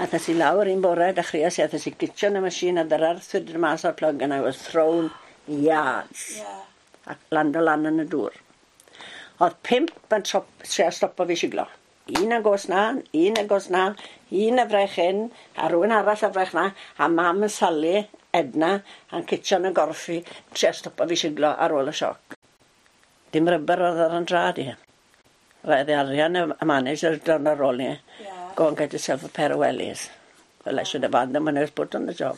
Athas i lawr un bore, dechreuais i, athas i glitio yn y machine a dyra'r thwyd mas o'r plug and I was thrown yards. A lando lan yn y dŵr. Oedd pump yn trio stopo fi siglo. Un yn gos na, un yn gos na, un y frech hyn, a rhywun arall y frech na, a mam yn Sally, Edna, a'n citio yn y gorffi, trio stopo fi siglo ar ôl y sioc. Dim rubber oedd ar yn drad i. Roedd arian y manager dod ar ôl ni. "Go and get yourself a pair of wellies." Well, I should have had them when I was put on the job.